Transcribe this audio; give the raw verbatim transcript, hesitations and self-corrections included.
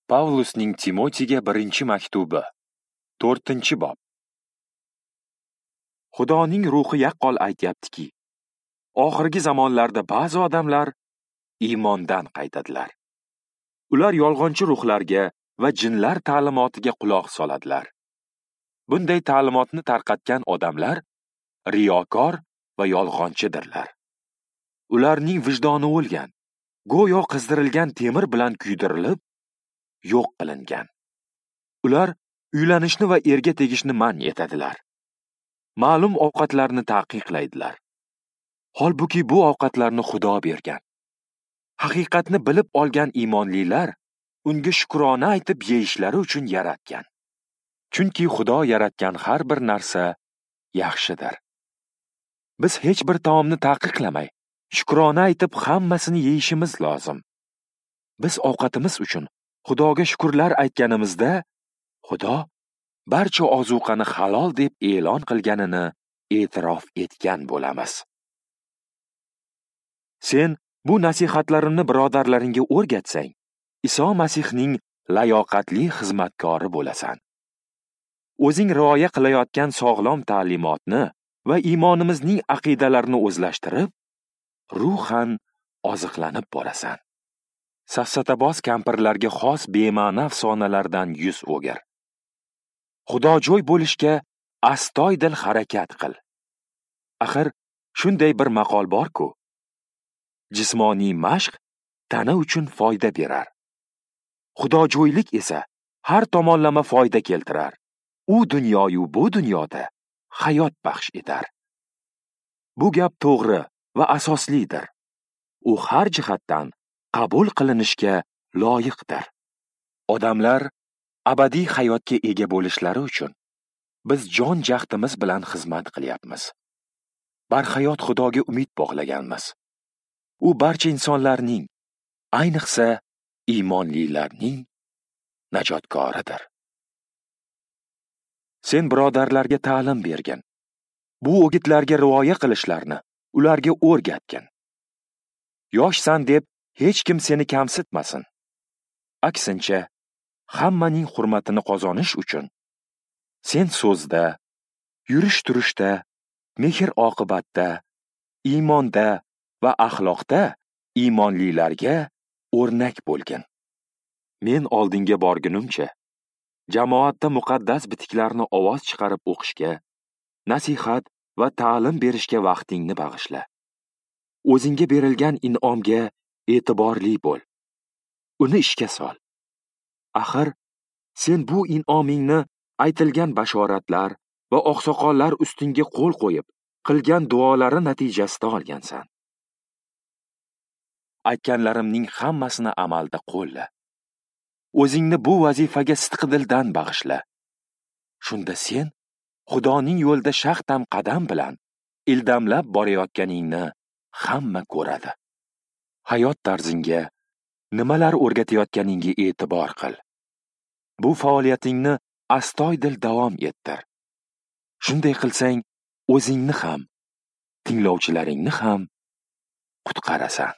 Pavlusning Timotiyga birinchi maktubi, to'rtinchi bob. Xudoning ruhi yaqqol aytyaptiki, oxirgi zamonlarda ba'zi odamlar iymondan qaytadilar. Ular yolg'onchi ruhlarga va jinlar ta'limotiga quloq soladilar. Bunday ta'limotni tarqatgan odamlar riyokor va yolg'onchidirlar. Ularning vijdoni o'lgan, go'yo qizdirilgan temir bilan kuydirilib, yo'q qilingan. Ular uylanishni va erga tegishni man etadilar. Ma'lum ovqatlarni taqiqlaydilar. Holbuki bu ovqatlarni Xudo bergan. Haqiqatni bilib olgan iymonlilar unga shukrona aytib yeyishlari uchun yaratgan. Chunki Xudo yaratgan har bir narsa yaxshidir. Biz hech bir taomni taqiqlamay, shukrona aytib hammasini yeyishimiz lozim. Biz ovqatimiz uchun Xudoga shukrlar aytganimizda, Xudo barcha ozuqani halol deb e'lon qilganini e'tirof etgan bo'lamiz. Sen bu nasihatlarimni birodarlaringga o'rgatsang, Iso Masihning layoqatli xizmatkori bo'lasan. O'zing rioya qilayotgan sog'lom ta'limotni va iymonimizning aqidalarini o'zlashtirib, ruhan oziqlanib borasan. Safsataboz kampirlarga xos bema'ni afsonalardan yuz o'gir. Xudojo'y bo'lishga astoydil harakat qil. Axir shunday bir maqol bor-ku: jismoniy mashq tana uchun foyda berar. Xudojo'ylik esa har tomonlama foyda keltirar. U dunyoyu bu dunyoda hayot baxsh etar. Bu gap to'g'ri va asoslidir. U har jihatdan qabul qilinishga loyiqdir. Odamlar abadiy hayotga ega bo'lishlari uchun biz jon jahdimiz bilan xizmat qilyapmiz. Barhayot Xudoga umid bog'laganmiz. U barcha insonlarning, ayniqsa iymonlilarning najotkoridir. Sen birodarlarga ta'lim bergin. Bu o'gitlarga rioya qilishlarini ularga o'rgatgin. Yoshsan deb hech kim seni kamsitmasin. Aksincha, hammaning hurmatini qozonish uchun sen so'zda, yurish-turishda, mehr-oqibatda, iymonda va axloqda iymonlilarga o'rnak bo'lgin. Men oldinga borgunimcha, jamoatda muqaddas bitiklarni ovoz chiqarib o'qishga, nasihat va ta'lim berishga vaqtingni bag'ishla. O'zingga berilgan in'omga e'tiborli bo'l. Uni ishga sol. Axir sen bu in'omingni aytilgan bashoratlar va oqsoqollar ustingga qo'l qo'yib qilgan duolari natijasida olgansan. Aytganlarimning hammasini amalda qo'lla. O'zingni bu vazifaga sidqidildan bag'ishla. Shunda sen Xudoning yo'lida shaxtam qadam bilan ildamlab borayotganingni hamma ko'radi. Hayot tarzingga, nimalar o'rgatayotganingga e'tibor qil. Bu faoliyatingni astoydil davom ettir. Shunday qilsang, o'zingni ham, tinglovchilaringni ham qutqarasan.